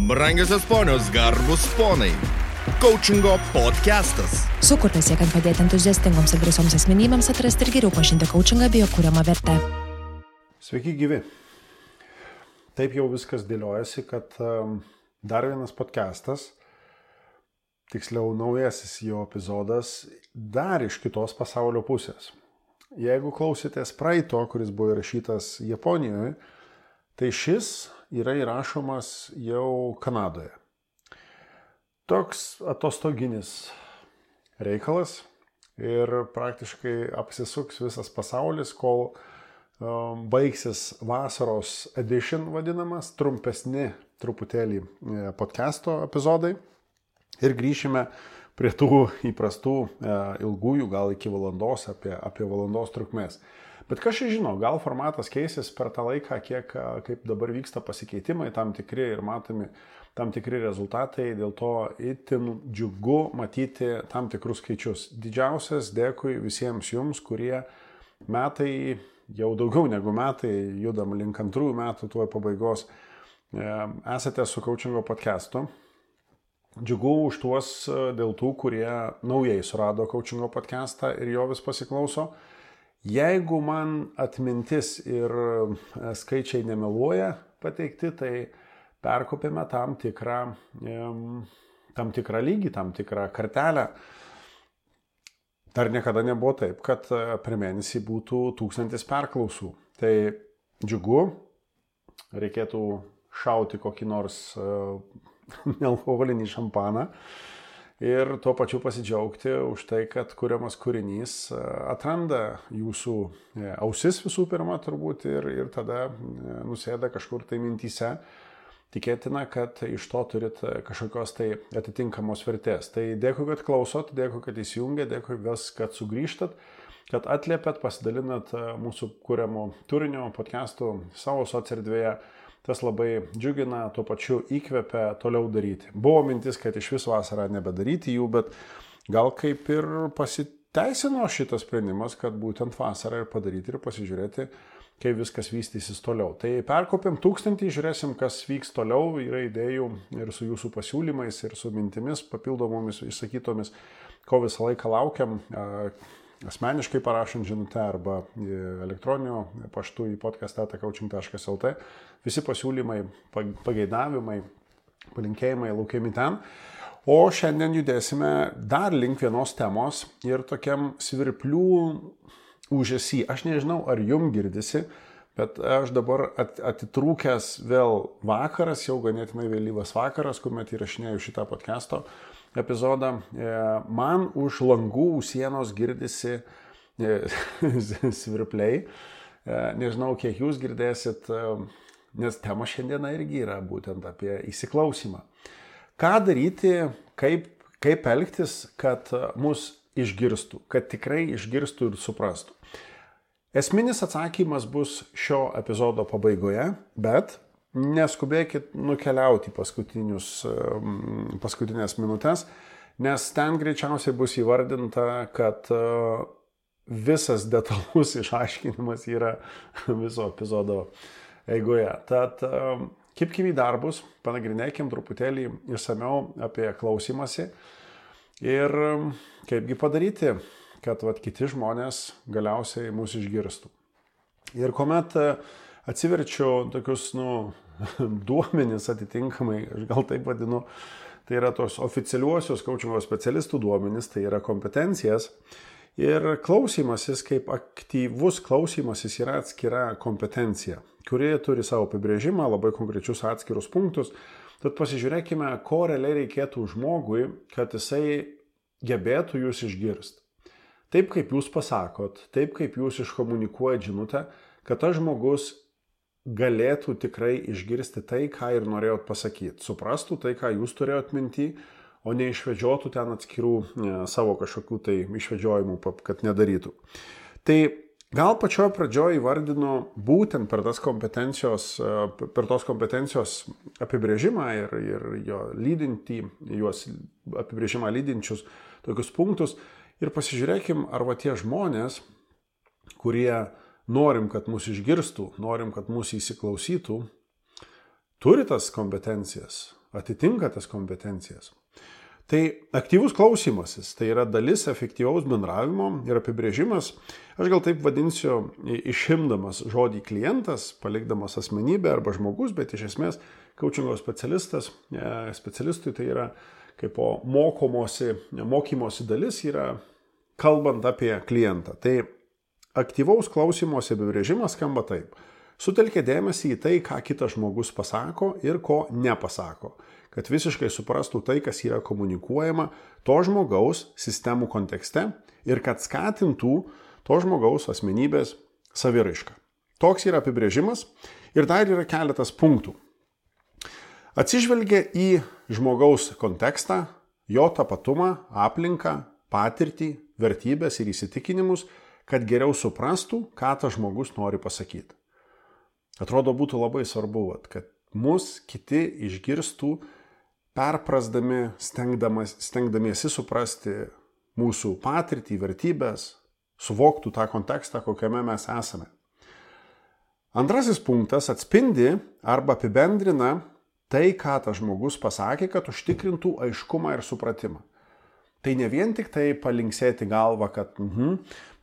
Brangiosios ponios, garbus ponai. Coachingo podcastas. Sukurtas siekiant padėti entuziastingoms ir drąsioms asmenybėms atrasti ir geriau pažinti coachingą bei jo kuriamą vertę. Sveiki gyvi. Taip jau viskas dėliojasi, kad dar vienas podcastas, tiksliau naujasis jo epizodas, dar iš kitos pasaulio pusės. Jeigu klausėtės praeito, kuris buvo įrašytas Japonijoje, tai šis yra įrašomas jau Kanadoje. Toks atostoginis reikalas ir praktiškai apsisuks visas pasaulis, kol baigsis vasaros edition vadinamas, trumpesni truputėlį podcasto epizodai ir grįšime prie tų įprastų ilgųjų, gal iki valandos, apie valandos trukmės. Bet kas čia žino, gal formatas keisis per tą laiką, kaip dabar vyksta pasikeitimai, tam tikri ir matomi tam tikri rezultatai, dėl to itin džiugu matyti tam tikrus skaičius. Didžiausias dėkui visiems jums, kurie metai, jau daugiau negu metai, judam link 2 metų tuo pabaigos, esate su Coachingo podcastu. Džiugu už tuos dėl tų, kurie naujai surado Coachingo podcastą ir jo vis pasiklauso. Jeigu man atmintis ir skaičiai nemeluoja pateikti, tai perkopėme tam tikrą lygį, tam tikrą kartelę. Dar niekada nebuvo taip, kad per mėnesį būtų 1000 perklausų. Tai džiugu, reikėtų šauti kokį nors nealkoholinį šampaną ir tuo pačiu pasidžiaugti už tai, kad kuriamas kūrinys atranda jūsų ausis visų pirma turbūt ir tada nusėda kažkur tai mintyse. Tikėtina, kad iš to turit kažkokios tai atitinkamos vertės. Tai dėkui, kad klausot, dėkui, kad įsijungėt, dėkui vis, kad sugrįžtat, kad atliepėt, pasidalinat mūsų kuriamo turinio podcastų savo socierdvėje. Tas labai džiugina, tuo pačiu įkvepia toliau daryti. Buvo mintis, kad iš vis vasarą nebedaryti jų, bet gal kaip ir pasiteisino šitas sprendimas, kad būtent vasarą ir padaryti ir pasižiūrėti, kaip viskas vystysis toliau. Tai perkopėm 1000, žiūrėsim, kas vyks toliau, yra idėjų ir su jūsų pasiūlymais, ir su mintimis, papildomomis išsakytomis, ko visą laiką laukiam, asmeniškai parašant žinutę arba elektroniniu paštu į podcast@coaching.lt. Visi pasiūlymai, pageidavimai, palinkėjimai laukiami ten. O šiandien judėsime dar link vienos temos ir tokiam svirplių ūžesį. Aš nežinau, ar jum girdisi, bet aš dabar atitrūkęs vėl vakaras, jau ganėtinai vėlyvas vakaras, kuomet įrašinėjau šitą podcast'o epizodą. Man už langų sienos girdisi svirpliai. Nežinau, kiek jūs girdėsit, nes tema šiandieną irgi yra būtent apie įsiklausymą. Ką daryti, kaip elgtis, kad mus išgirstų, kad tikrai išgirstų ir suprastų. Esminis atsakymas bus šio epizodo pabaigoje, bet neskubėkit nukeliauti paskutinės minutės, nes ten greičiausiai bus įvardinta, kad visas detalus išaiškinimas yra viso epizodo eigoje. Tad kibkim į darbus, panagrinėkim truputėlį išsamiau apie klausimąsi ir kaipgi padaryti, kad kiti žmonės galiausiai mūsų išgirstų. Ir kuomet atsiverčiu tokius, duomenis atitinkamai, aš gal taip vadinu, tai yra tos oficialiuosius coachingo specialistų duomenis, tai yra kompetencijas. Ir klausymasis, kaip aktyvus klausymasis yra atskira kompetencija, kuri turi savo apibrėžimą, labai konkrečius atskirus punktus. Tad pasižiūrėkime, ko realiai reikėtų žmogui, kad jisai gebėtų jūs išgirsti. Taip, kaip jūs pasakot, taip, kaip jūs iškomunikuojat žinutę, kad tas žmogus galėtų tikrai išgirsti tai, ką ir norėjot pasakyti. Suprastų tai, ką jūs turėjot minty, o neišvedžiotų ten atskirų savo kažkokių tai išvedžiojimų, kad nedarytų. Tai gal pačioje pradžioje įvardinu būtent per tos kompetencijos apibrėžimą ir jo lydintį, juos apibrėžimą lydinčius tokius punktus ir pasižiūrėkim, ar tie žmonės, kurie norim, kad mus išgirstų, norim, kad mus įsiklausytų, turi tas kompetencijas. atitinka tas kompetencijas. Tai aktyvus klausymasis, tai yra dalis efektyvaus bendravimo ir apibrėžimas, aš gal taip vadinsiu, išimdamas žodį klientas, palikdamas asmenybę arba žmogus, bet iš esmės coachingo specialistui tai yra kaip mokymosi dalis yra kalbant apie klientą. Tai aktyvaus klausymosi apibrėžimas skamba taip. Sutelkia dėmesį į tai, ką kitas žmogus pasako ir ko nepasako, kad visiškai suprastų tai, kas yra komunikuojama to žmogaus sistemų kontekste ir kad skatintų to žmogaus asmenybės saviraišką. Toks yra apibrėžimas ir dar yra keletas punktų. Atsižvelgia į žmogaus kontekstą, jo tapatumą, aplinką, patirtį, vertybės ir įsitikinimus, kad geriau suprastų, ką tas žmogus nori pasakyti. Atrodo, būtų labai svarbu, kad mus kiti išgirstų, perprasdami, stengdamiesi suprasti mūsų patirtį, vertybės, suvoktų tą kontekstą, kokiame mes esame. Antrasis punktas atspindi arba apibendrina tai, ką tas žmogus pasakė, kad užtikrintų aiškumą ir supratimą. Tai ne vien tik tai palinksėti galvą, kad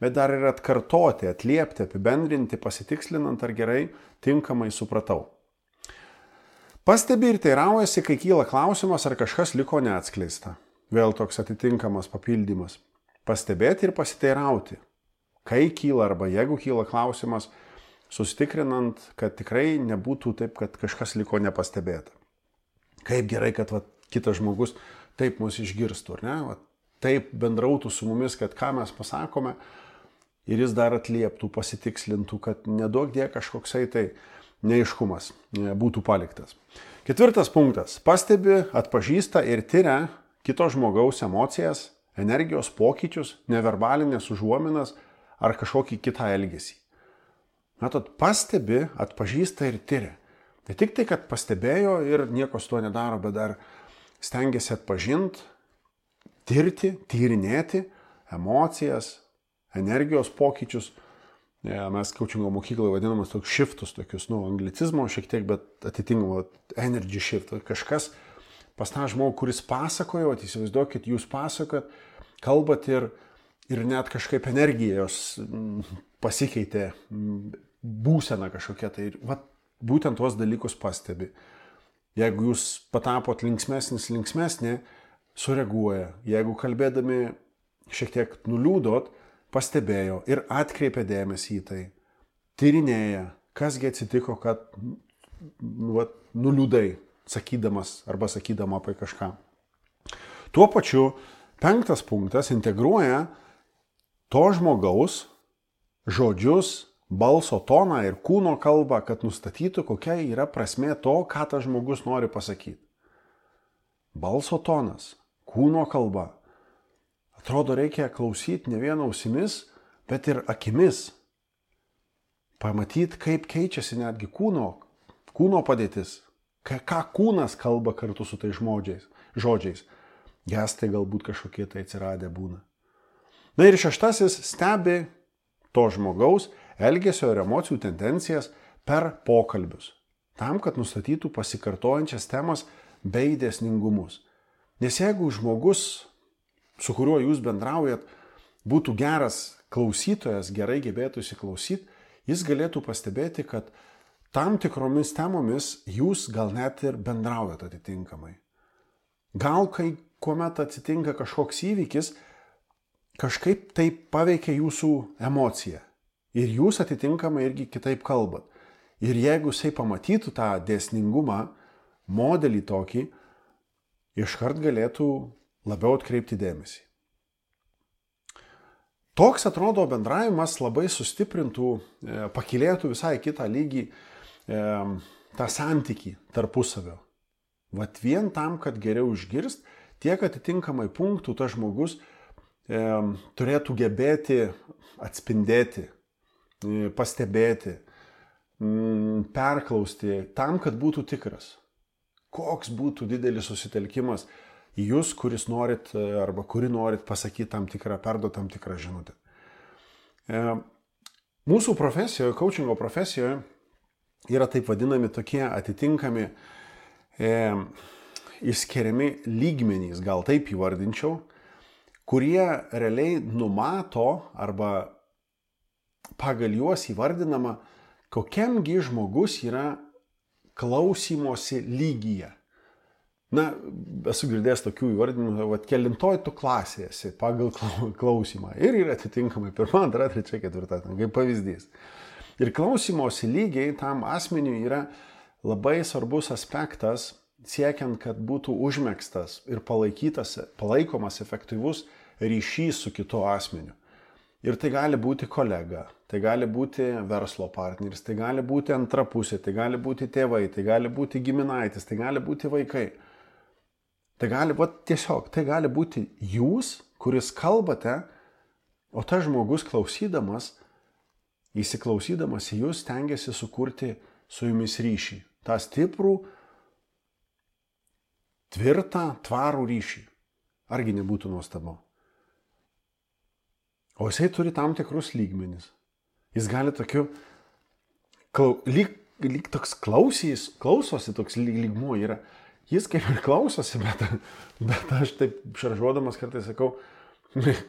bet dar ir atkartoti, atliepti, apibendrinti, pasitikslinant, ar gerai, tinkamai supratau. Pastebi ir teiraujasi, kai kyla klausimas, ar kažkas liko neatskleista. Vėl toks atitinkamas papildymas. Pastebėti ir pasiteirauti. Kai kyla arba jeigu kyla klausimas, susitikrinant, kad tikrai nebūtų taip, kad kažkas liko nepastebėta. Kaip gerai, kad kitas žmogus taip mus išgirstų, ar ne? Taip bendrautų su mumis, kad ką mes pasakome ir jis dar atlieptų, pasitikslintų, kad neduok die kažkoksai tai neaiškumas būtų paliktas. Ketvirtas punktas. Pastebi, atpažįsta ir tyria kito žmogaus emocijas, energijos pokyčius, neverbalinės užuominas ar kažkokį kitą elgesį. Matot, pastebi, atpažįsta ir tyria. Ne tik tai, kad pastebėjo ir nieko su tuo nedaro, bet dar stengiasi atpažinti, tirti, tyrinėti emocijas, energijos pokyčius. Mes coachingo mokykloje vadinamas toks shiftus, tokius, anglicizmo šiek tiek, bet atitinkamo energy shift. Kažkas pas tą žmogų, kuris pasakojo, įsivaizduokit, jūs pasakot, kalbat ir net kažkaip energijos pasikeitė, būsena kažkokia. Tai būtent tuos dalykus pastebi. Jeigu jūs patapot linksmesnė, sureaguoja. Jeigu kalbėdami šiek tiek nuliūdot, pastebėjo ir atkreipė dėmesį į tai. Tyrinėja, kasgi atsitiko, kad nuliūdai, sakydamas arba sakydama apie kažką. Tuo pačiu, 5 punktas integruoja to žmogaus žodžius, balso toną ir kūno kalbą, kad nustatytų, kokia yra prasmė to, ką tas žmogus nori pasakyti. Balso tonas, kūno kalba. Atrodo, reikia klausyti ne vien ausimis, bet ir akimis. Pamatyti, kaip keičiasi netgi kūno padėtis. Ką kūnas kalba kartu su tais žodžiais. Gestai galbūt kažkokie tai atsiradę būna. Na ir 6 stebi to žmogaus elgesio ir emocijų tendencijas per pokalbius. Tam, kad nustatytų pasikartojančias temas bei dėsningumus. Nes jeigu žmogus, su kuriuo jūs bendraujat, būtų geras klausytojas, gerai gebėtų įsiklausyti, jis galėtų pastebėti, kad tam tikromis temomis jūs gal net ir bendraujat atitinkamai. Gal kai kuomet atsitinka kažkoks įvykis, kažkaip tai paveikia jūsų emociją. Ir jūs atitinkamai irgi kitaip kalbat. Ir jeigu jisai pamatytų tą dėsningumą, modelį tokį, iškart galėtų labiau atkreipti dėmesį. Toks atrodo bendravimas labai sustiprintų, pakilėtų visai kitą lygį tą santykį tarpusavio. Vat vien tam, kad geriau išgirst, tiek atitinkamai punktų tas žmogus turėtų gebėti atspindėti, pastebėti, perklausti, tam, kad būtų tikras. Koks būtų didelis susitelkimas į jūs, kuris norit arba kuri norit pasakyti tam tikrą, perduoti tam tikrą žinutę. Mūsų profesijoje, coachingo profesijoje yra taip vadinami tokie atitinkami išskiriami lygmenys, gal taip įvardinčiau, kurie realiai numato arba pagal juos įvardinama, kokiamgi žmogus yra klausymosi lygyje. Na, esu girdėjęs tokių įvardinimų, kelintoj tu klasėje esi pagal klausimą. Ir yra atitinkamai 1, 2, 3, 4, kaip pavyzdys. Ir klausymosi lygiai tam asmeniui yra labai svarbus aspektas, siekiant, kad būtų užmegztas ir palaikomas efektyvus ryšys su kitu asmeniu. Ir tai gali būti kolega, tai gali būti verslo partneris, tai gali būti antra pusė, tai gali būti tėvai, tai gali būti giminaitis, tai gali būti vaikai. Tai gali būti jūs, kuris kalbate, o tas žmogus klausydamas, įsiklausydamas į jūs, stengiasi sukurti su jumis ryšį. tą stiprų, tvirtą, tvarų ryšį. Argi nebūtų nuostabu? O jisai turi tam tikrus lygmenis. Jis gali tokiu, lyg toks klausosi, toks lygmuo yra. Jis kaip ir klausosi, bet aš taip šaržuodamas kartais sakau,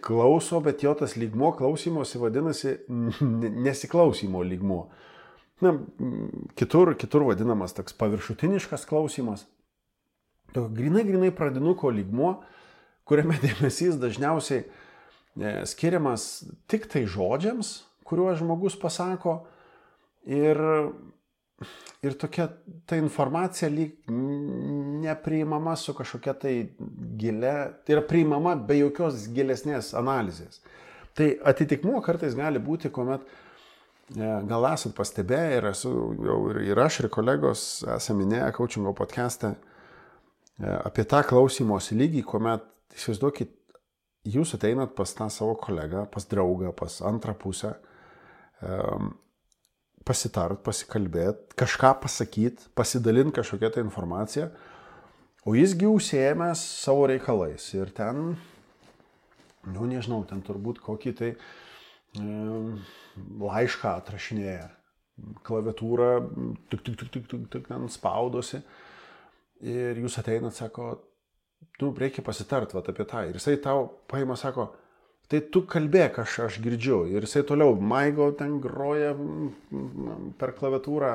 klauso, bet jo tas lygmuo klausymosi vadinasi nesiklausymo lygmuo. Na, kitur vadinamas toks paviršutiniškas klausimas. Grinai pradinuko lygmuo, kuriame dėmesys dažniausiai skiriamas tik tai žodžiams, kuriuos žmogus pasako, ir tokia ta informacija lyg nepriimama su kažkokia tai gilia, tai yra priimama be jokios gilesnės analizės. Tai atitikmuo kartais gali būti, kuomet gal esat pastebėję ir aš ir kolegos esame minėję coachingo podcast'e apie tą klausymosi lygį, kuomet, įsivaizduokit, jūs ateinat pas tą savo kolegą, pas draugą, pas antrą pusę, pasitart, pasikalbėt, kažką pasakyt, pasidalint kažkokią tą informaciją, o jisgi užsiėmęs savo reikalais ir ten, nežinau, ten turbūt kokį tai laišką atrašinėja, klaviatūrą ten spaudosi ir jūs ateinat, sako, reikia pasitart apie tą. Ir jisai tau paima, sako, tai tu kalbėk, aš girdžiu. Ir jisai toliau maigo ten groja per klaviatūrą.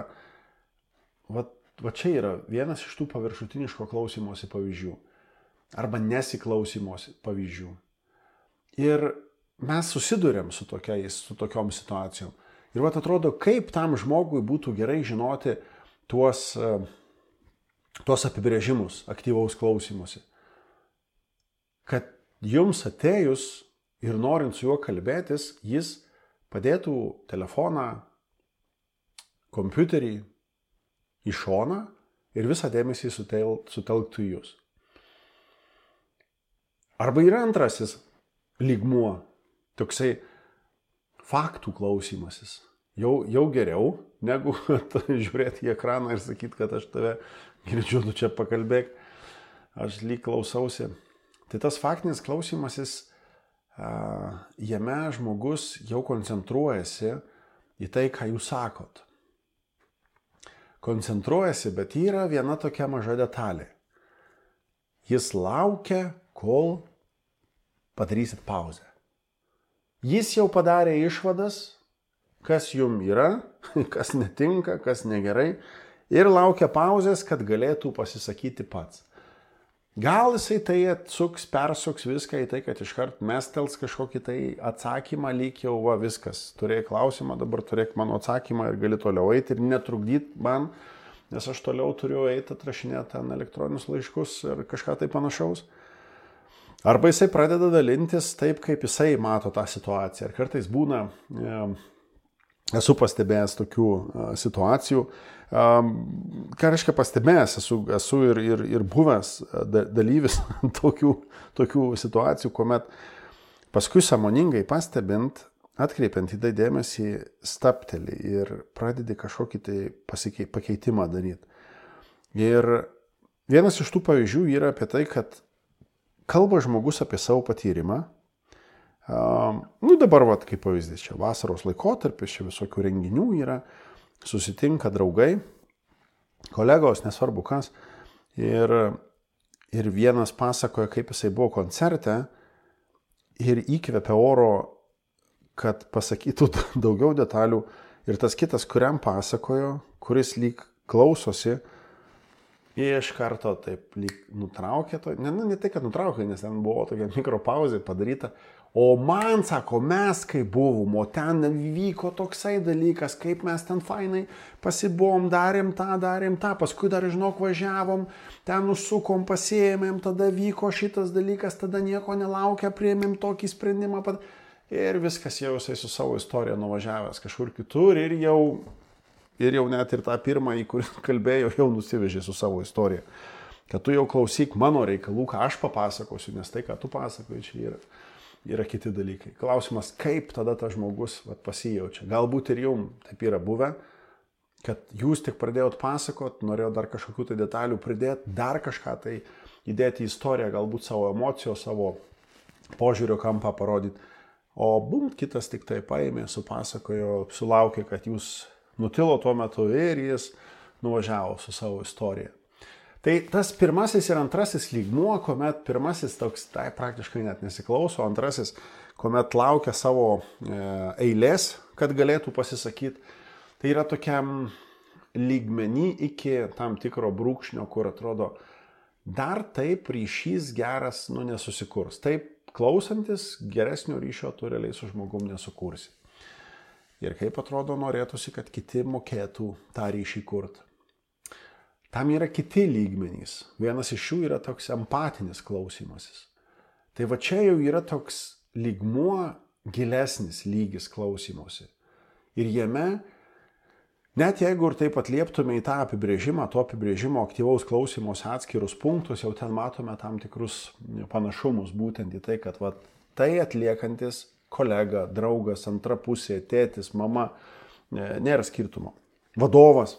Va čia yra vienas iš tų paviršutiniško klausymosi pavyzdžių. Arba nesiklausymosi pavyzdžių. Ir mes susiduriam su tokiom situacijom. Ir atrodo, kaip tam žmogui būtų gerai žinoti tuos apibrėžimus aktyvaus klausymosi. Kad jums atėjus ir norint su juo kalbėtis, jis padėtų telefoną, kompiuterį į šoną ir visą dėmesį sutelktų į jūs. Arba yra antrasis lygmuo, toksai faktų klausymasis. Jau geriau, negu žiūrėti į ekraną ir sakyti, kad aš tave girdžiu, tu čia pakalbėk, aš lyg klausausi. Tai tas faktinis klausymasis, jame žmogus jau koncentruojasi į tai, ką jūs sakot. Koncentruojasi, bet yra viena tokia maža detalė. Jis laukia, kol padarysit pauzę. Jis jau padarė išvadas, kas jum yra, kas netinka, kas negerai, ir laukia pauzės, kad galėtų pasisakyti pats. Gal jisai tai persuks viską į tai, kad iškart mestels kažkokį tai atsakymą, lyg jau viskas. Turėjai klausimą, dabar turėk mano atsakymą ir gali toliau eiti ir netrukdyt man, nes aš toliau turiu eiti atrašinėti ten elektroninius laiškus ir kažką tai panašaus. Arba jisai pradeda dalintis taip, kaip jisai mato tą situaciją. Ir kartais būna, esu pastebėjęs tokių situacijų. Ką reiškia pastebėjęs, esu ir buvęs dalyvis tokių situacijų, kuomet paskui sąmoningai pastebint, atkreipiant į tai dėmesį, stapteli ir pradedi kažkokį tai pakeitimą daryti. Ir vienas iš tų pavyzdžių yra apie tai, kad kalba žmogus apie savo patyrimą. Dabar, kaip pavyzdys, čia vasaros laikotarpis, čia visokių renginių yra, susitinka draugai, kolegos, nesvarbu kas, ir ir vienas pasakoja, kaip jisai buvo koncerte ir įkvėpė oro, kad pasakytų daugiau detalių. Ir tas kitas, kuriam pasakojo, kuris lyg klausosi, iš karto taip lyg nutraukė to. Ne tai, kad nutraukė, nes ten buvo tokia mikropauzė padaryta. O man, sako, mes kai buvom, o ten vyko toksai dalykas, kaip mes ten fainai pasibuvom, darėm tą, paskui dar, žinok, važiavom, ten nusukom, pasiėmėm, tada vyko šitas dalykas, tada nieko nelaukia, priėmėm tokį sprendimą. Ir viskas jau jisai su savo istorija nuvažiavęs kažkur kitur ir jau net ir tą pirmąjį, kurį kalbėjau, jau nusivežė su savo istorija. Kad tu jau klausyk mano reikalų, ką aš papasakosiu, nes tai, ką tu pasakoji, čia yra kiti dalykai. Klausimas, kaip tada tas žmogus pasijaučia. Galbūt ir jums taip yra buvę, kad jūs tik pradėjot pasakot, norėjot dar kažkokių tai detalių pridėti, dar kažką tai įdėti į istoriją, galbūt savo emocijos, savo požiūrio kampą parodyti. O kitas tik tai paėmė, supasakojo, sulaukė, kad jūs nutilo tuo metu ir jis nuvažiavo su savo istorija. Tai tas pirmasis ir antrasis lygmuo, kuomet pirmasis toks, tai praktiškai net nesiklauso, antrasis, kuomet laukia savo eilės, kad galėtų pasisakyti, tai yra tokiam lygmenį iki tam tikro brūkšnio, kur atrodo, dar taip ryšys geras, nesusikurs. Taip, klausantis geresnio ryšio tu realiai su žmogum nesukursi. Ir kaip atrodo, norėtųsi, kad kiti mokėtų tą ryšį kurti. Tam yra kiti lygmenys. Vienas iš jų yra toks empatinis klausymasis. Tai va čia jau yra toks lygmuo, gilesnis lygis klausymosi. Ir jame, net jeigu ir taip atlieptume į tą apibrėžimą, to apibrėžimo aktyvaus klausymosi atskirus punktus, jau ten matome tam tikrus panašumus, būtent į tai, kad tai atliekantis kolega, draugas, antra pusė, tėtis, mama, nėra skirtumo. Vadovas.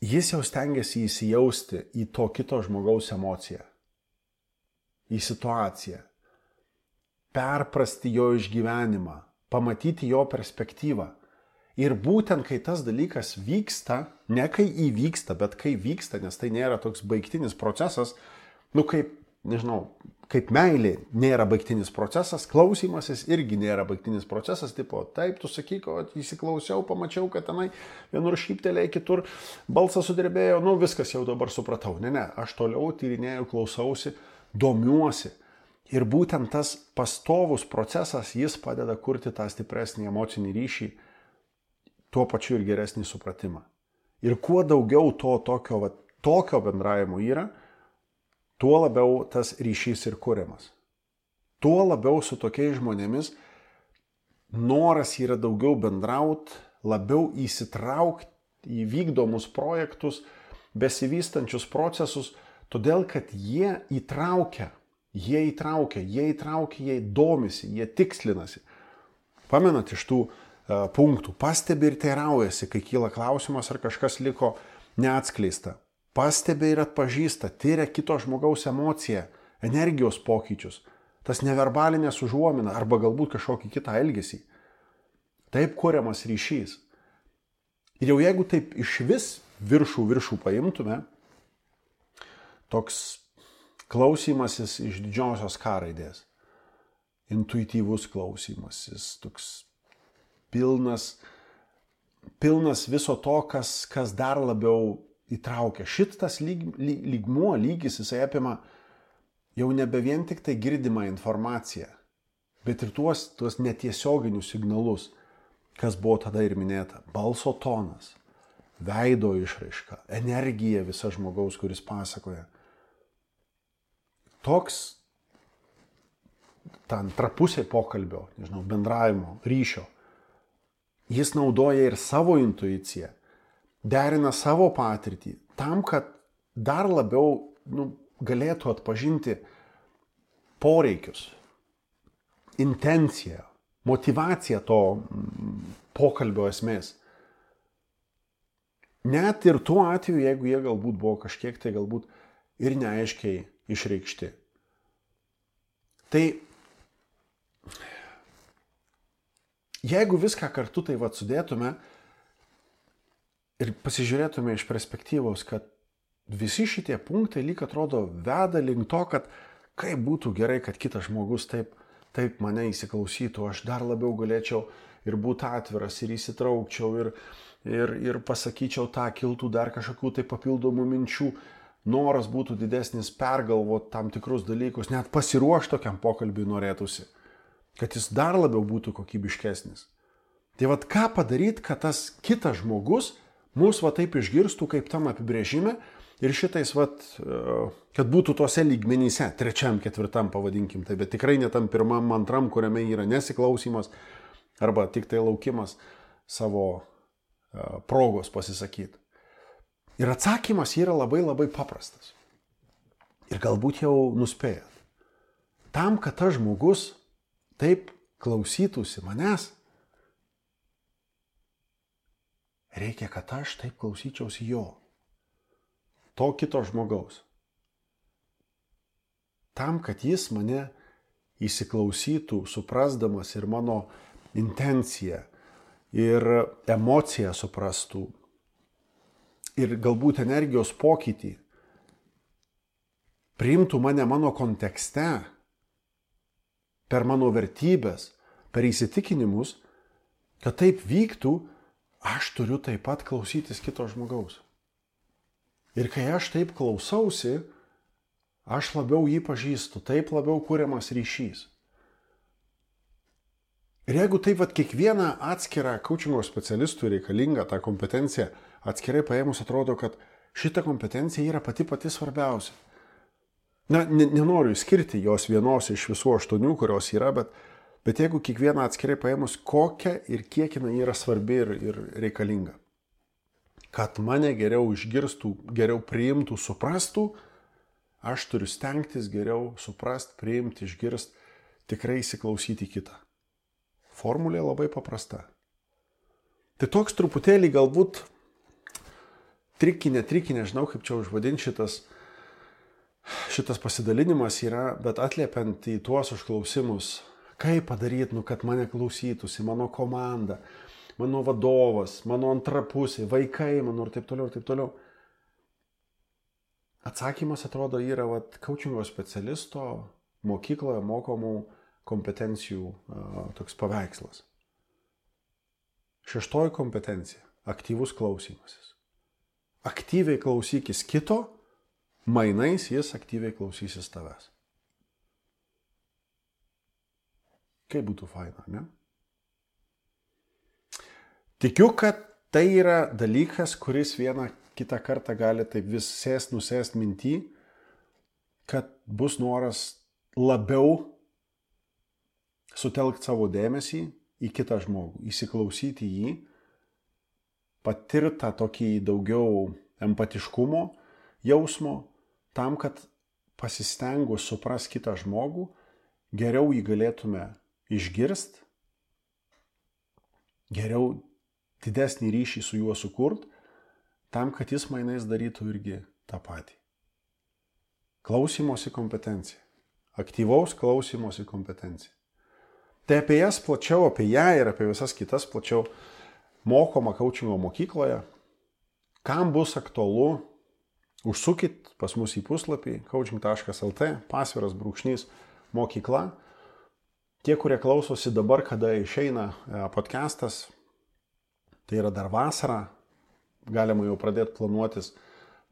Jis jau stengiasi įsijausti į to kito žmogaus emociją, į situaciją, perprasti jo išgyvenimą, pamatyti jo perspektyvą. Ir būtent kai tas dalykas vyksta, ne kai įvyksta, bet kai vyksta, nes tai nėra toks baigtinis procesas, kaip meilė nėra baigtinis procesas, klausymasis irgi nėra baigtinis procesas, tipo, taip, tu sakyk, o įsiklausiau, pamačiau, kad tenai vienur šyptelėjai, kitur balsas sudrebėjo, viskas jau dabar supratau. Ne, aš toliau tyrinėjau, klausausi, domiuosi. Ir būtent tas pastovus procesas, jis padeda kurti tą stipresnį emocinį ryšį, tuo pačiu ir geresnį supratimą. Ir kuo daugiau tokio bendravimo yra, tuo labiau tas ryšys ir kuriamas. Tuo labiau su tokiais žmonėmis noras yra daugiau bendrauti, labiau įsitraukti į vykdomus projektus, besivystančius procesus, todėl kad jie įtraukia, jie domisi, jie tikslinasi. Pamenat iš tų punktų, pastebi ir teiraujasi, kai kyla klausimas, ar kažkas liko neatskleista. Pastebi ir atpažįsta, tyria kito žmogaus emociją, energijos pokyčius, tas neverbalinės užuomina arba galbūt kažkokį kitą elgesį. Taip kuriamas ryšys. Ir jau jeigu taip iš vis viršų paimtume, toks klausymasis iš didžiosios K raidės, intuityvus klausymasis, toks pilnas viso to, kas dar labiau įtraukia. Šitas lygis, jisai apima jau nebe vien tik tai girdimą informaciją, bet ir tuos netiesioginius signalus, kas buvo tada ir minėta. Balso tonas, veido išraiška, energija visa žmogaus, kuris pasakoja. Toks ta antra pusė pokalbio, bendravimo, ryšio. Jis naudoja ir savo intuiciją, derina savo patirtį, tam, kad dar labiau galėtų atpažinti poreikius, intenciją, motyvaciją to pokalbio esmės. Net ir tuo atveju, jeigu jie galbūt buvo kažkiek tai galbūt ir neaiškiai išreikšti. Tai jeigu viską kartu tai sudėtume ir pasižiūrėtume iš perspektyvos, kad visi šitie punktai lyg atrodo veda link to, kad kaip būtų gerai, kad kitas žmogus taip mane įsiklausytų, aš dar labiau galėčiau ir būti atviras, ir įsitraukčiau, ir pasakyčiau tą, kiltų dar kažkokių tai papildomų minčių, noras būtų didesnis pergalvoti tam tikrus dalykus, net pasiruošti tokiam pokalbiui norėtųsi, kad jis dar labiau būtų kokybiškesnis. Tai vat ką padaryti, kad tas kitas žmogus mus va taip išgirstų kaip tam apibrėžime ir šitais vat, kad būtų tose lygmenyse, 3., 4. pavadinkim, tai bet tikrai ne tam 1., 2., kuriame yra nesiklausimas arba tik tai laukimas savo progos pasisakyti. Ir atsakymas yra labai labai paprastas. Ir galbūt jau nuspėjat. Tam, kad tas žmogus taip klausytųsi manęs, reikia, kad aš taip klausyčiausi jo. To kito žmogaus. Tam, kad jis mane įsiklausytų, suprasdamas ir mano intenciją, ir emociją suprastų, ir galbūt energijos pokytį, priimtų mane mano kontekste, per mano vertybės, per įsitikinimus, kad taip vyktų, aš turiu taip pat klausytis kito žmogaus. Ir kai aš taip klausausi, aš labiau jį pažįstu, taip labiau kuriamas ryšys. Ir jeigu taip vat kiekvieną atskirą coachingo specialistų reikalingą tą kompetenciją atskirai paėmus, atrodo, kad šita kompetencija yra pati svarbiausia. Na, nenoriu skirti jos vienos iš visų 8, kurios yra, bet jeigu kiekvieną atskirai paėmus, kokia ir kiek jinai yra svarbi ir reikalinga. Kad mane geriau išgirstų, geriau priimtų, suprastų, aš turiu stengtis geriau suprast, priimti, išgirst, tikrai įsiklausyti kitą. Formulė labai paprasta. Tai toks truputėlį galbūt trikinė, nežinau kaip čia užvadinti šitas pasidalinimas yra, bet atliepiant į tuos užklausimus, kaip padaryti, kad mane klausytųsi, mano komanda, mano vadovas, mano antra pusė, vaikai, mano ir taip toliau. Atsakymas atrodo yra coachingo specialisto mokykloje mokomų kompetencijų toks paveikslas. 6. kompetencija – aktyvus klausymasis. Aktyviai klausykis kito, mainais jis aktyviai klausysis tavęs. Kaip būtų faina, ne? Tikiu, kad tai yra dalykas, kuris vieną kitą kartą gali taip vis nusėst minty, kad bus noras labiau sutelkti savo dėmesį į kitą žmogų, įsiklausyti jį, patirti tą tokį daugiau empatiškumo jausmo, tam, kad pasistengus supras kitą žmogų, geriau jį galėtume išgirst, geriau didesnį ryšį su juo sukurt, tam, kad jis mainais darytų irgi tą patį. Klausymosi kompetencija. Aktyvaus klausymosi kompetencija. Tai apie jas plačiau, apie ją ir apie visas kitas plačiau mokoma coachingo mokykloje. Kam bus aktualu, užsukit pas mus į puslapį coaching.lt, _mokykla. Tie, kurie klausosi dabar, kada išeina podcastas, tai yra dar vasara, galima jau pradėti planuotis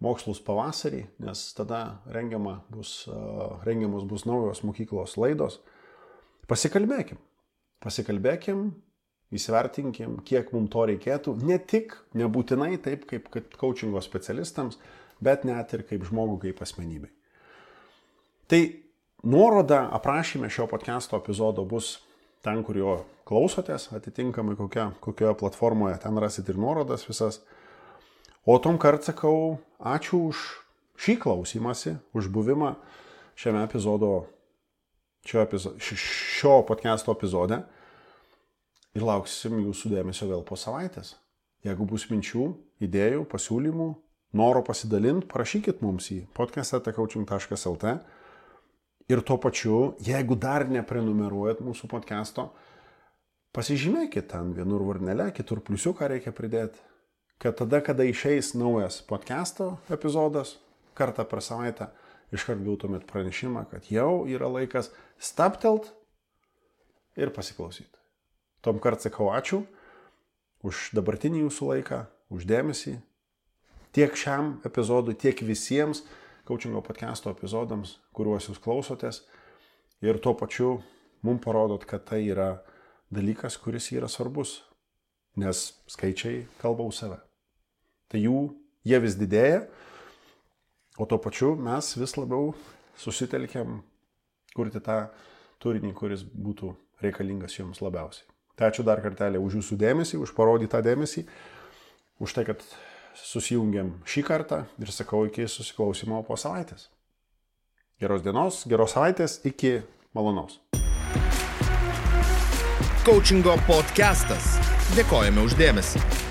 mokslus pavasarį, nes tada rengiamos bus naujos mokyklos laidos. Pasikalbėkim, įsivertinkim, kiek mums to reikėtų, ne tik, nebūtinai taip kaip coachingo specialistams, bet net ir kaip žmogų, kaip asmenybei. Tai nuoroda aprašyme šio podcast'o epizodo bus ten, kur jo klausotės, atitinkamai kokioje platformoje, ten rasit ir nuorodas visas. O tom kart sakau, ačiū už šį klausymąsi, už buvimą šio podcast'o epizode ir lauksim jūsų dėmesio vėl po savaitės. Jeigu bus minčių, idėjų, pasiūlymų, noro pasidalinti, parašykit mums į podcast@coaching.lt ir tuo pačiu, jeigu dar neprenumeruojat mūsų podcast'o, pasižymėkit ten vienur varnelę, kitur pliusiuką reikia pridėti, kad tada, kada išeis naujas podcast'o epizodas, kartą per savaitę, iškart gautumėt pranešimą, kad jau yra laikas stabtelt ir pasiklausyti. Tom kart sakau ačiū už dabartinį jūsų laiką, už dėmesį. Tiek šiam epizodui, tiek visiems Coachingo podcast'o epizodams, kuriuos jūs klausotės. Ir tuo pačiu mums parodot, kad tai yra dalykas, kuris yra svarbus. Nes skaičiai kalba už save. Tai jie vis didėja, o tuo pačiu mes vis labiau susitelkiam kurti tą turinį, kuris būtų reikalingas jums labiausiai. Tai ačiū dar kartelį už jūsų dėmesį, už parodytą dėmesį, už tai, kad susijungiam šį kartą ir sakau iki susiklausimo po savaitės. Geros dienos, geros savaitės, iki malonaus. Coachingo podcastas. Dėkojame už dėmesį.